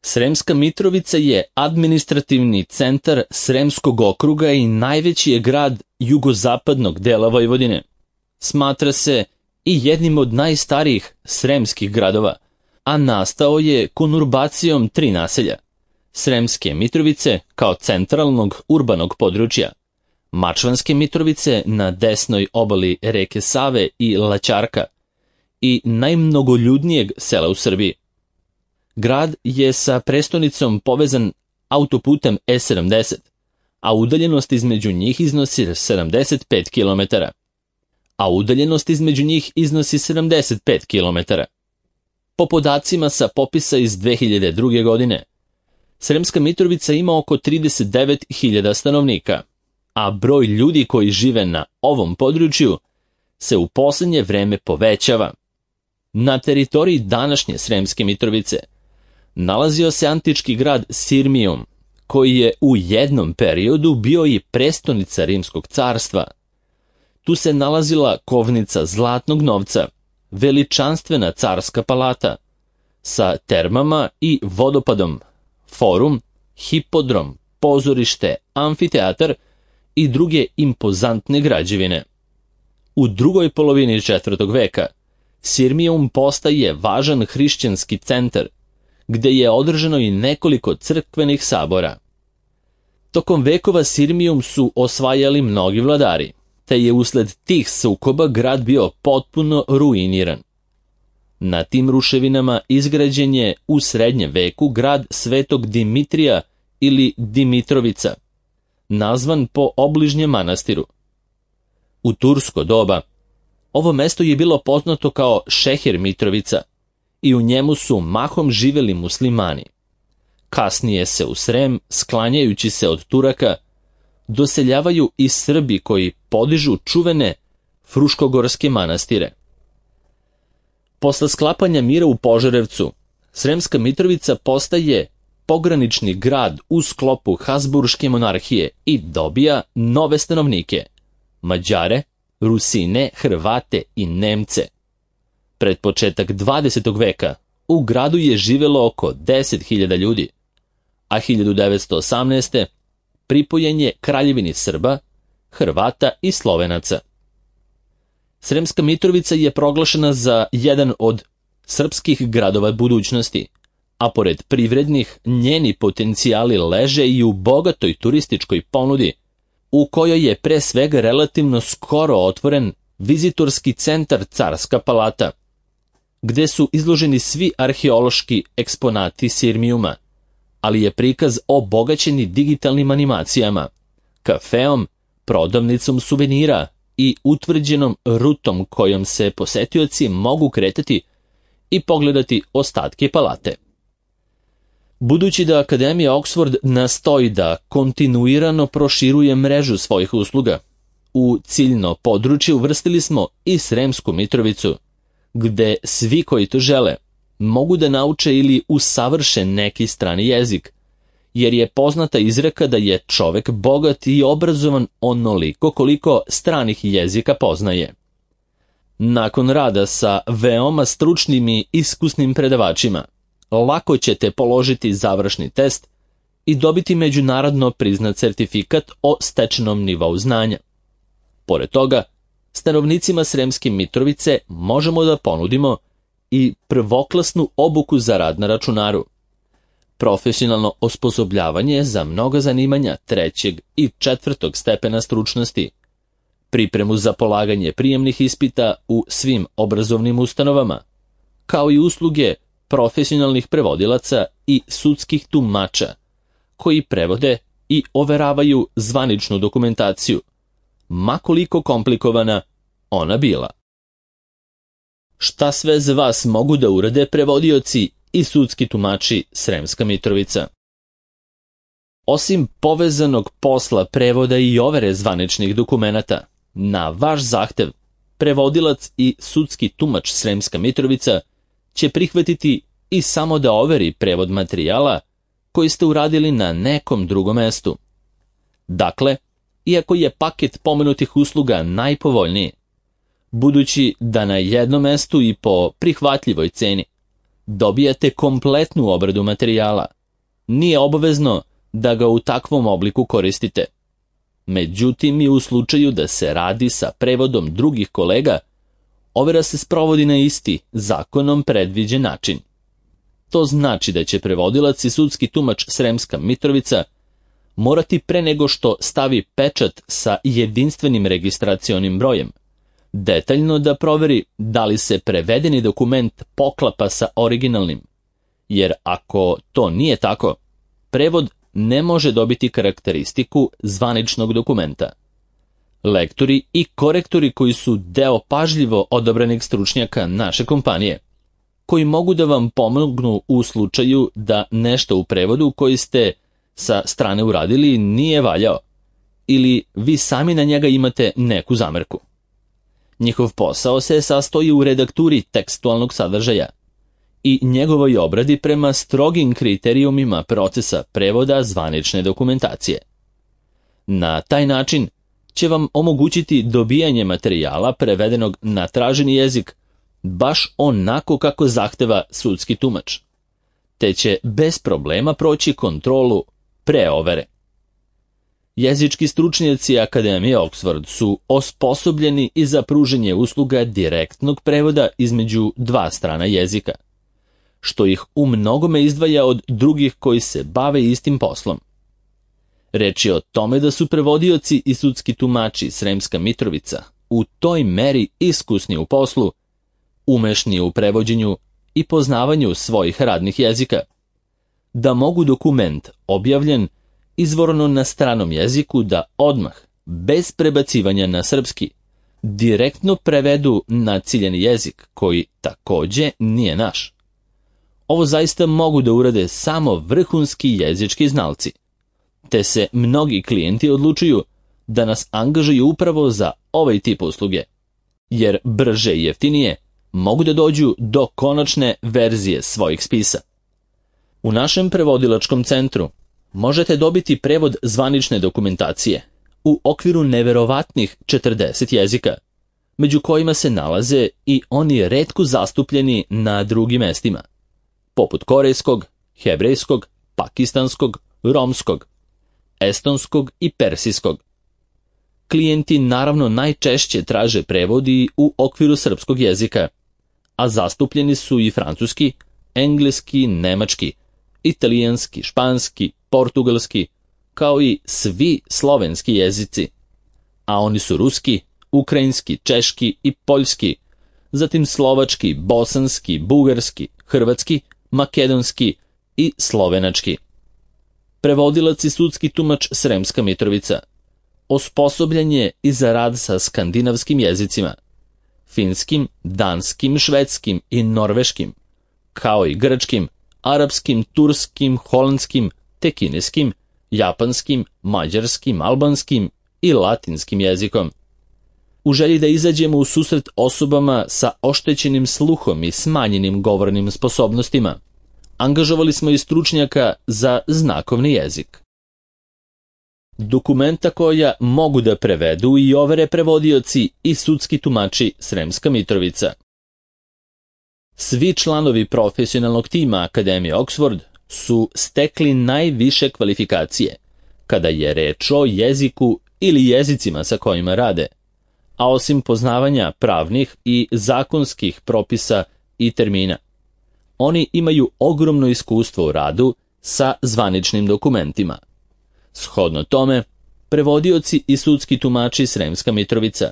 Sremska Mitrovica je administrativni centar Sremskog okruga i najveći je grad jugozapadnog dela Vojvodine. Smatra se i jednim od najstarijih sremskih gradova, a nastao je konurbacijom 3 naselja: Sremske Mitrovice kao centralnog urbanog područja, Mačvanske Mitrovice na desnoj obali reke Save i Laćarka i najmnogoljudnijeg sela u Srbiji. Grad je sa prestonicom povezan autoputem E70, a udaljenost između njih iznosi 75 km. Po podacima sa popisa iz 2002. godine, Sremska Mitrovica ima oko 39.000 stanovnika, a broj ljudi koji žive na ovom području se u posljednje vreme povećava. Na teritoriji današnje Sremske Mitrovice nalazio se antički grad Sirmijum, koji je u jednom periodu bio i prestonica Rimskog carstva. Tu se nalazila kovnica zlatnog novca, veličanstvena carska palata, sa termama i vodopadom, forum, hipodrom, pozorište, amfiteatar i druge impozantne građevine. U drugoj polovini 4. veka Sirmijum postaje važan hrišćanski centar, gde je održano i nekoliko crkvenih sabora. Tokom vekova Sirmijum su osvajali mnogi vladari, te je usled tih sukoba grad bio potpuno ruiniran. Na tim ruševinama izgrađen je u srednjem veku grad Svetog Dimitrija ili Dimitrovica, nazvan po obližnjem manastiru. U tursko doba ovo mesto je bilo poznato kao Šeher Mitrovica i u njemu su mahom živeli muslimani. Kasnije se u Srem, sklanjajući se od Turaka, doseljavaju i Srbi koji podižu čuvene fruškogorske manastire. Posle sklapanja mira u Požarevcu, Sremska Mitrovica postaje pogranični grad u sklopu Habsburške monarhije i dobija nove stanovnike: Mađare, Rusine, Hrvate i Nemce. Pred početak 20. veka u gradu je živelo oko 10.000 ljudi, a 1918. pripojen je Kraljevini Srba, Hrvata i Slovenaca. Sremska Mitrovica je proglašena za jedan od srpskih gradova budućnosti, a pored privrednih, njeni potencijali leže i u bogatoj turističkoj ponudi, u kojoj je pre svega relativno skoro otvoren vizitorski centar Carska palata, gde su izloženi svi arheološki eksponati Sirmijuma, ali je prikaz obogaćeni digitalnim animacijama, kafeom, prodavnicom suvenira i utvrđenom rutom kojom se posetioci mogu kretati i pogledati ostatke palate. Budući da Akademija Oxford nastoji da kontinuirano proširuje mrežu svojih usluga, u ciljno područje uvrstili smo i Sremsku Mitrovicu, gde svi koji to žele mogu da nauče ili usavrše neki strani jezik, jer je poznata izreka da je čovek bogat i obrazovan onoliko koliko stranih jezika poznaje. Nakon rada sa veoma stručnim i iskusnim predavačima, lako ćete položiti završni test i dobiti međunarodno priznat certifikat o stečenom nivou znanja. Pored toga, stanovnicima Sremske Mitrovice možemo da ponudimo i prvoklasnu obuku za rad na računaru, profesionalno osposobljavanje za mnoga zanimanja 3. i 4. stepena stručnosti, pripremu za polaganje prijemnih ispita u svim obrazovnim ustanovama, kao i usluge profesionalnih prevodilaca i sudskih tumača, koji prevode i overavaju zvaničnu dokumentaciju, ma koliko komplikovana ona bila. Šta sve za vas mogu da urade prevodioci i sudski tumači Sremska Mitrovica? Osim povezanog posla prevoda i overe zvaničnih dokumenata, na vaš zahtev, prevodilac i sudski tumač Sremska Mitrovica će prihvatiti i samo da overi prevod materijala koji ste uradili na nekom drugom mestu. Dakle, iako je paket pomenutih usluga najpovoljniji, budući da na jednom mestu i po prihvatljivoj ceni, dobijate kompletnu obradu materijala. Nije obavezno da ga u takvom obliku koristite. Međutim, i u slučaju da se radi sa prevodom drugih kolega, overa se sprovodi na isti, zakonom predviđen način. To znači da će prevodilac i sudski tumač Sremska Mitrovica morati pre nego što stavi pečat sa jedinstvenim registracionim brojem, detaljno da proveri da li se prevedeni dokument poklapa sa originalnim, jer ako to nije tako, prevod ne može dobiti karakteristiku zvaničnog dokumenta. Lektori i korektori koji su deo pažljivo odabranih stručnjaka naše kompanije, koji mogu da vam pomognu u slučaju da nešto u prevodu koji ste sa strane uradili nije valjao, ili vi sami na njega imate neku zamerku. Njihov posao se sastoji u redakturi tekstualnog sadržaja i njegovoj obradi prema strogim kriterijumima procesa prevoda zvanične dokumentacije. Na taj način će vam omogućiti dobijanje materijala prevedenog na traženi jezik baš onako kako zahteva sudski tumač, te će bez problema proći kontrolu preovere. Jezički stručnjaci Akademije Oxford su osposobljeni i za pruženje usluga direktnog prevoda između dva strana jezika, što ih u mnogome izdvaja od drugih koji se bave istim poslom. Reč je o tome da su prevodioci i sudski tumači Sremska Mitrovica u toj meri iskusni u poslu, umešni u prevođenju i poznavanju svojih radnih jezika, da mogu dokument objavljen izvorno na stranom jeziku da odmah, bez prebacivanja na srpski, direktno prevedu na ciljani jezik koji takođe nije naš. Ovo zaista mogu da urade samo vrhunski jezički znalci, te se mnogi klijenti odlučuju da nas angažuju upravo za ovaj tip usluge, jer brže i jeftinije mogu da dođu do konačne verzije svojih spisa. U našem prevodilačkom centru možete dobiti prevod zvanične dokumentacije u okviru neverovatnih 40 jezika, među kojima se nalaze i oni retko zastupljeni na drugim mestima, poput korejskog, hebrejskog, pakistanskog, romskog, estonskog i persijskog. Klijenti naravno najčešće traže prevodi u okviru srpskog jezika, a zastupljeni su i francuski, engleski, nemački, italijanski, španski, portugalski, kao i svi slovenski jezici, a oni su ruski, ukrajinski, češki i poljski, zatim slovački, bosanski, bugarski, hrvatski, makedonski i slovenački. Prevodilac i sudski tumač Sremska Mitrovica osposobljen je i za rad sa skandinavskim jezicima, finskim, danskim, švedskim i norveškim, kao i grčkim, arapskim, turskim, holandskim, te kineskim, japanskim, mađarskim, albanskim i latinskim jezikom. U želji da izađemo u susret osobama sa oštećenim sluhom i smanjenim govornim sposobnostima, angažovali smo i stručnjaka za znakovni jezik. Dokumenta koja mogu da prevedu i overe prevodioci i sudski tumači Sremska Mitrovica. Svi članovi profesionalnog tima Akademije Oxford su stekli najviše kvalifikacije kada je reč o jeziku ili jezicima sa kojima rade, a osim poznavanja pravnih i zakonskih propisa i termina, oni imaju ogromno iskustvo u radu sa zvaničnim dokumentima. Shodno tome, prevodioci i sudski tumači Sremska Mitrovica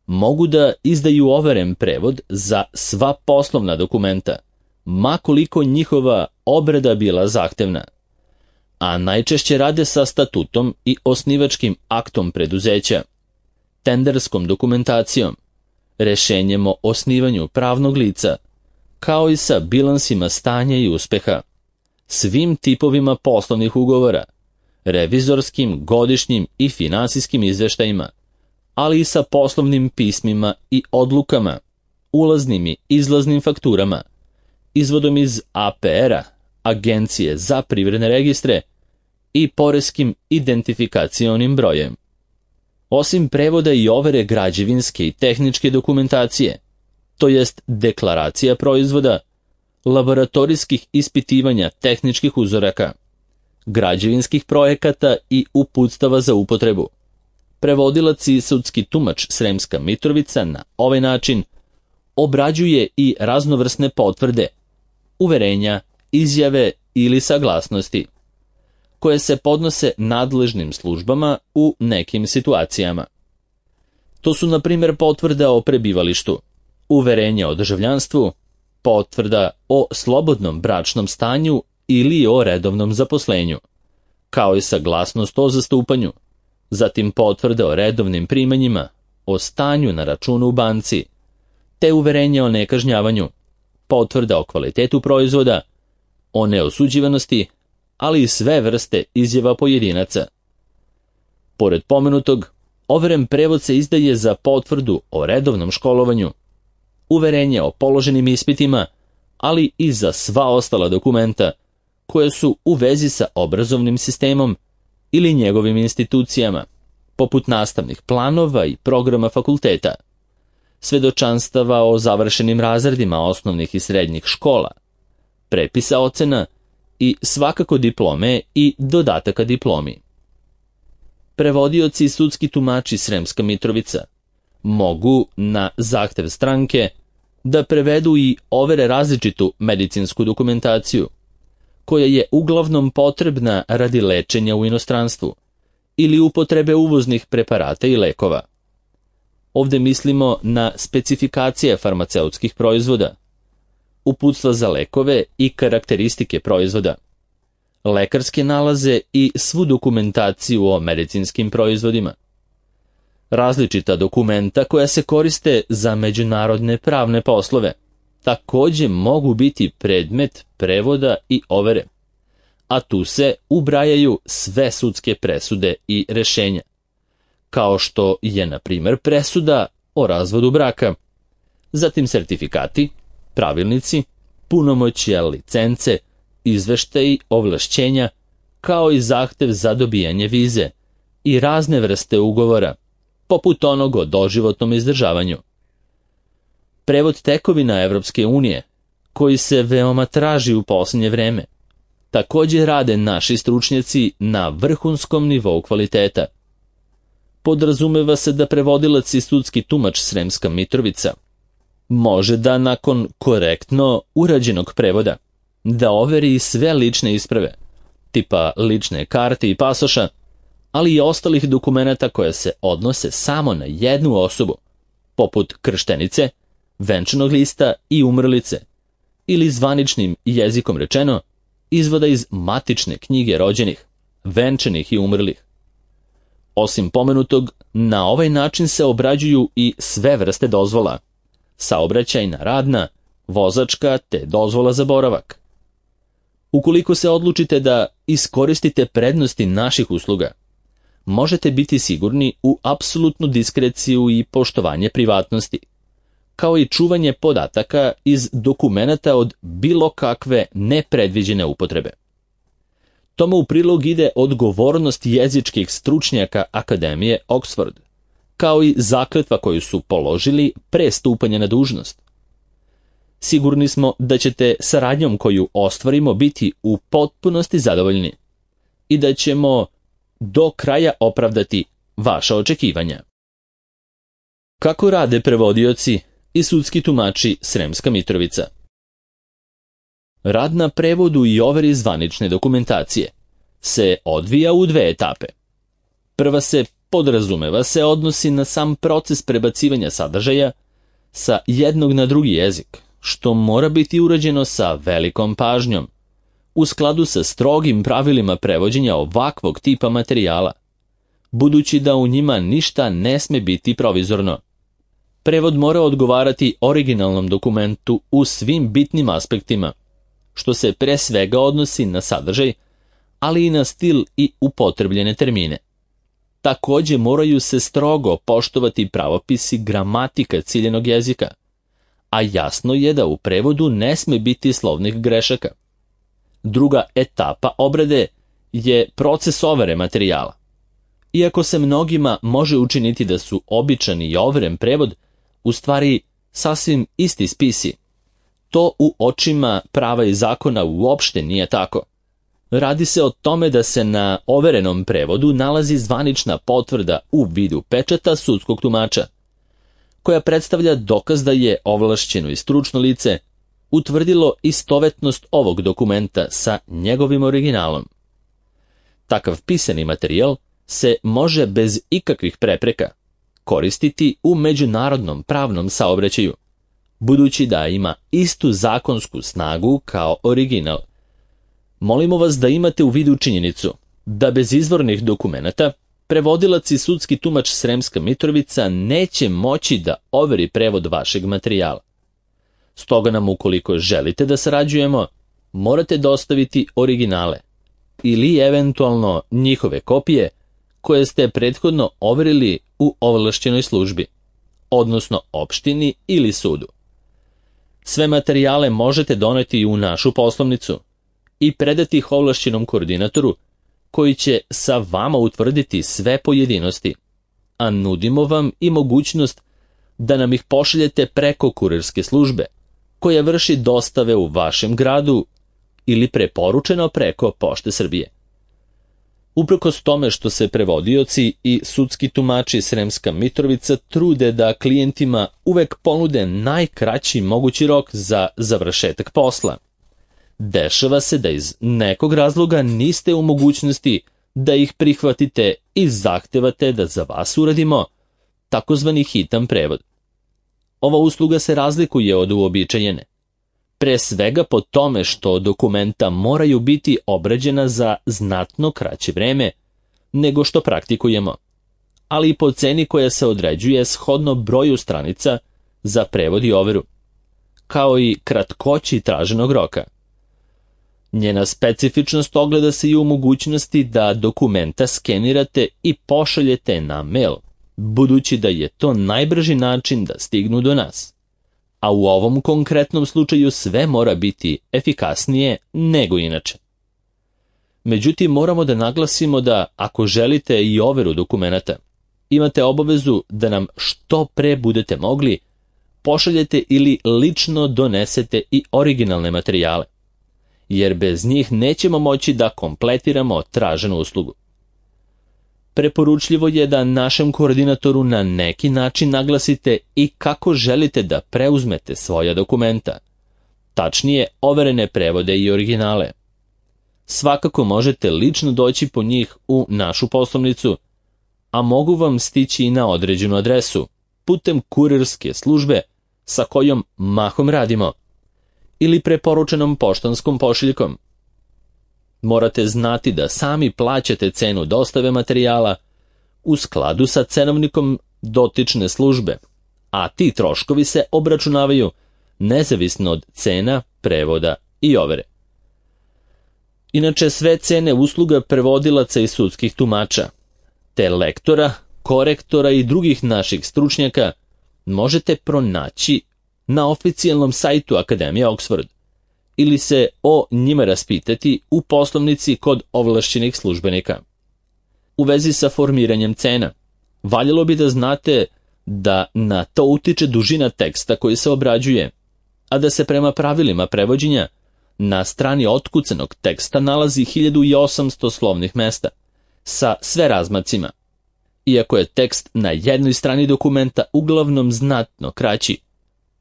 mogu da izdaju overen prevod za sva poslovna dokumenta, ma koliko njihova obrada bila zahtevna, a najčešće rade sa statutom i osnivačkim aktom preduzeća, tenderskom dokumentacijom, rešenjem o osnivanju pravnog lica, kao i sa bilansima stanja i uspeha, svim tipovima poslovnih ugovora, revizorskim, godišnjim i finansijskim izveštajima, ali i sa poslovnim pismima i odlukama, ulaznim i izlaznim fakturama, izvodom iz APR-a, Agencije za privredne registre, i poreskim identifikacionim brojem. Osim prevoda i overe građevinske i tehničke dokumentacije, to jest deklaracija proizvoda, laboratorijskih ispitivanja tehničkih uzoraka, građevinskih projekata i uputstava za upotrebu. Prevodilac i sudski tumač Sremska Mitrovica na ovaj način obrađuje i raznovrsne potvrde, uverenja, izjave ili saglasnosti, koje se podnose nadležnim službama u nekim situacijama. To su, na primjer, potvrda o prebivalištu, uverenje o državljanstvu, potvrda o slobodnom bračnom stanju ili o redovnom zaposlenju, kao i saglasnost o zastupanju, zatim potvrde o redovnim primanjima, o stanju na računu u banci, te uverenje o nekažnjavanju, potvrda o kvalitetu proizvoda, o neosuđivanosti, ali i sve vrste izjava pojedinaca. Pored pomenutog, overen prevod se izdaje za potvrdu o redovnom školovanju, uverenje o položenim ispitima, ali i za sva ostala dokumenta koje su u vezi sa obrazovnim sistemom ili njegovim institucijama, poput nastavnih planova i programa fakulteta, svedočanstava o završenim razredima osnovnih i srednjih škola, prepisa ocena i svakako diplome i dodataka diplomi. Prevodioci i sudski tumači Sremska Mitrovica mogu na zahtev stranke da prevedu i overe različitu medicinsku dokumentaciju, koja je uglavnom potrebna radi lečenja u inostranstvu ili upotrebe uvoznih preparata i lekova. Ovdje mislimo na specifikacije farmaceutskih proizvoda, uputstva za lekove i karakteristike proizvoda, lekarske nalaze i svu dokumentaciju o medicinskim proizvodima. Različita dokumenta koja se koriste za međunarodne pravne poslove također mogu biti predmet prevoda i overe, a tu se ubrajaju sve sudske presude i rješenja, kao što je, na primjer, presuda o razvodu braka, zatim sertifikati, pravilnici, punomoćja, licence, izveštaji, ovlašćenja, kao i zahtev za dobijanje vize i razne vrste ugovora, poput onog o doživotnom izdržavanju. Prevod tekovina Evropske unije, koji se veoma traži u posljednje vreme, također rade naši stručnjaci na vrhunskom nivou kvaliteta. Podrazumeva se da prevodilac i sudski tumač Sremska Mitrovica može da nakon korektno urađenog prevoda da overi sve lične isprave, tipa lične karte i pasoša, ali i ostalih dokumenata koje se odnose samo na jednu osobu, poput krštenice, venčanog lista i umrlice, ili zvaničnim jezikom rečeno, izvoda iz matične knjige rođenih, venčanih i umrlih. Osim pomenutog, na ovaj način se obrađuju i sve vrste dozvola, saobraćajna, radna, vozačka te dozvola za boravak. Ukoliko se odlučite da iskoristite prednosti naših usluga, možete biti sigurni u apsolutnu diskreciju i poštovanje privatnosti, kao i čuvanje podataka iz dokumenata od bilo kakve nepredviđene upotrebe. Tome u prilog ide odgovornost jezičkih stručnjaka Akademije Oxford, kao i zakletva koju su položili pre stupanja na dužnost. Sigurni smo da ćete saradnjom koju ostvarimo biti u potpunosti zadovoljni i da ćemo do kraja opravdati vaša očekivanja. Kako rade prevodioci i sudski tumači Sremska Mitrovica? Rad na prevodu i overi zvanične dokumentacije se odvija u dve etape. Prva se, podrazumeva se, odnosi na sam proces prebacivanja sadržaja sa jednog na drugi jezik, što mora biti urađeno sa velikom pažnjom, u skladu sa strogim pravilima prevođenja ovakvog tipa materijala, budući da u njima ništa ne sme biti provizorno. Prevod mora odgovarati originalnom dokumentu u svim bitnim aspektima, što se pre svega odnosi na sadržaj, ali i na stil i upotrebljene termine. Također moraju se strogo poštovati pravopisi gramatika ciljenog jezika, a jasno je da u prevodu ne sme biti slovnih grešaka. Druga etapa obrade je proces overe materijala. Iako se mnogima može učiniti da su običan i overen prevod u stvari sasvim isti spisi, To u očima prava i zakona uopšte nije tako. Radi se o tome da se na overenom prevodu nalazi zvanična potvrda u vidu pečata sudskog tumača, koja predstavlja dokaz da je ovlašćeno i stručno lice utvrdilo istovetnost ovog dokumenta sa njegovim originalom. Takav pisani materijal se može bez ikakvih prepreka koristiti u međunarodnom pravnom saobraćaju, budući da ima istu zakonsku snagu kao original. Molimo vas da imate u vidu činjenicu da bez izvornih dokumenata prevodilac i sudski tumač Sremska Mitrovica neće moći da overi prevod vašeg materijala. Stoga nam, ukoliko želite da sarađujemo, morate dostaviti originale ili eventualno njihove kopije koje ste prethodno overili u ovlašćenoj službi, odnosno opštini ili sudu. Sve materijale možete doneti u našu poslovnicu i predati ih ovlašćenom koordinatoru, koji će sa vama utvrditi sve pojedinosti, a nudimo vam i mogućnost da nam ih pošaljete preko kurirske službe, koja vrši dostave u vašem gradu ili preporučeno preko Pošte Srbije. Uprkos tome što se prevodioci i sudski tumači Sremska Mitrovica trude da klijentima uvek ponude najkraći mogući rok za završetak posla, dešava se da iz nekog razloga niste u mogućnosti da ih prihvatite i zahtevate da za vas uradimo takozvani hitan prevod. Ova usluga se razlikuje od uobičajene, pre svega po tome što dokumenta moraju biti obrađena za znatno kraće vreme nego što praktikujemo, ali i po ceni koja se određuje shodno broju stranica za prevod i overu, kao i kratkoći traženog roka. Njena specifičnost ogleda se i u mogućnosti da dokumenta skenirate i pošaljete na mail, budući da je to najbrži način da stignu do nas. A u ovom konkretnom slučaju sve mora biti efikasnije nego inače. Međutim, moramo da naglasimo da ako želite i overu dokumenata, imate obavezu da nam što pre budete mogli pošaljete ili lično donesete i originalne materijale, jer bez njih nećemo moći da kompletiramo traženu uslugu. Preporučljivo je da našem koordinatoru na neki način naglasite i kako želite da preuzmete svoja dokumenta, tačnije overene prevode i originale. Svakako možete lično doći po njih u našu poslovnicu, a mogu vam stići i na određenu adresu, putem kurirske službe sa kojom mahom radimo, ili preporučenom poštanskom pošiljkom. Morate znati da sami plaćate cenu dostave materijala u skladu sa cenovnikom dotične službe, a ti troškovi se obračunavaju nezavisno od cena, prevoda i overe. Inače, sve cene usluga prevodilaca i sudskih tumača, te lektora, korektora i drugih naših stručnjaka možete pronaći na oficijalnom sajtu Akademije Oxford ili se o njima raspitati u poslovnici kod ovlašćenih službenika. U vezi sa formiranjem cena, valjalo bi da znate da na to utiče dužina teksta koji se obrađuje, a da se prema pravilima prevođenja na strani otkucanog teksta nalazi 1800 slovnih mesta sa sve razmacima. Iako je tekst na jednoj strani dokumenta uglavnom znatno kraći,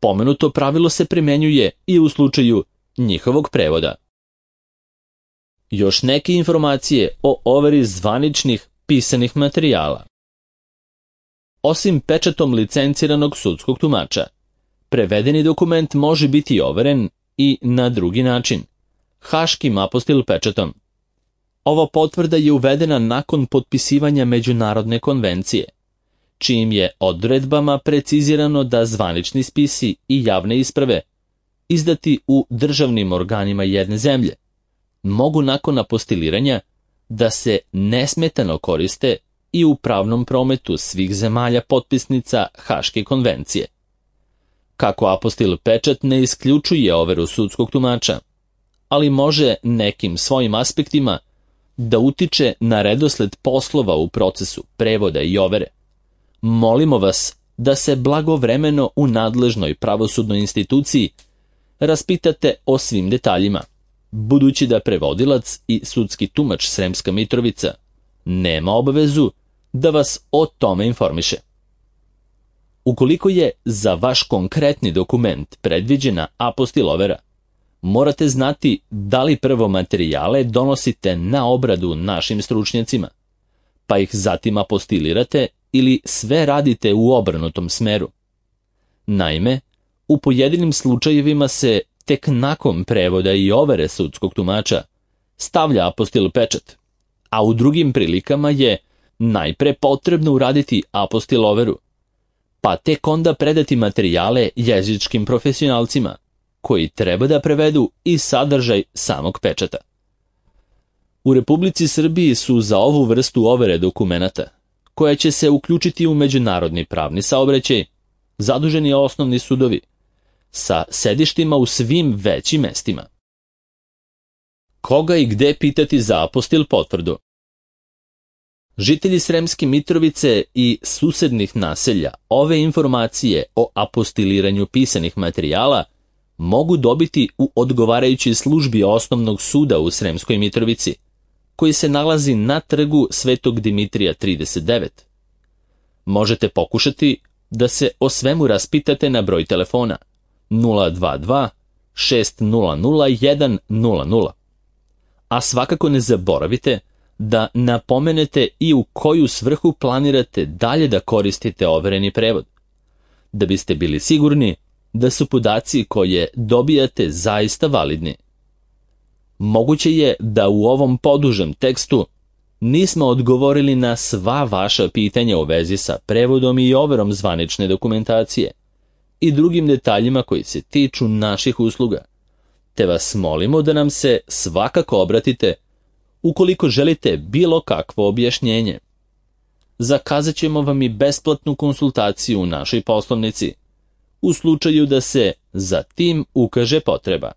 pomenuto pravilo se primenjuje i u slučaju njihovog prevoda. Još neke informacije o overi zvaničnih pisanih materijala. Osim pečatom licenciranog sudskog tumača, prevedeni dokument može biti overen i na drugi način, haškim apostil pečatom. Ova potvrda je uvedena nakon potpisivanja međunarodne konvencije, čijim je odredbama precizirano da zvanični spisi i javne isprave izdati u državnim organima jedne zemlje mogu nakon apostiliranja da se nesmetano koriste i u pravnom prometu svih zemalja potpisnica Haške konvencije. Kako apostil pečat ne isključuje overu sudskog tumača, ali može nekim svojim aspektima da utiče na redosled poslova u procesu prevoda i overe, molimo vas da se blagovremeno u nadležnoj pravosudnoj instituciji raspitate o svim detaljima, budući da prevodilac i sudski tumač Sremska Mitrovica nema obavezu da vas o tome informiše. Ukoliko je za vaš konkretni dokument predviđena apostila overa, morate znati da li prvo materijale donosite na obradu našim stručnjacima, pa ih zatim apostilirate ili sve radite u obrnutom smeru. Naime, u pojedinim slučajevima se tek nakon prevoda i overe sudskog tumača stavlja apostil pečat, a u drugim prilikama je najpre potrebno uraditi apostil overu, pa tek onda predati materijale jezičkim profesionalcima, koji treba da prevedu i sadržaj samog pečata. U Republici Srbiji su za ovu vrstu overe dokumenata, koja će se uključiti u međunarodni pravni saobraćaj, zaduženi osnovni sudovi, sa sedištima u svim većim mestima. Koga i gde pitati za apostil potvrdu? Žitelji Sremske Mitrovice i susednih naselja ove informacije o apostiliranju pisanih materijala mogu dobiti u odgovarajućoj službi osnovnog suda u Sremskoj Mitrovici, koji se nalazi na trgu Svetog Dimitrija 39. Možete pokušati da se o svemu raspitate na broj telefona 022 600 100, a svakako ne zaboravite da napomenete i u koju svrhu planirate dalje da koristite overeni prevod, da biste bili sigurni da su podaci koje dobijate zaista validni. Moguće je da u ovom podužem tekstu nismo odgovorili na sva vaša pitanja u vezi sa prevodom i overom zvanične dokumentacije i drugim detaljima koji se tiču naših usluga, te vas molimo da nam se svakako obratite ukoliko želite bilo kakvo objašnjenje. Zakazat ćemo vam i besplatnu konsultaciju u našoj poslovnici, u slučaju da se za tim ukaže potreba.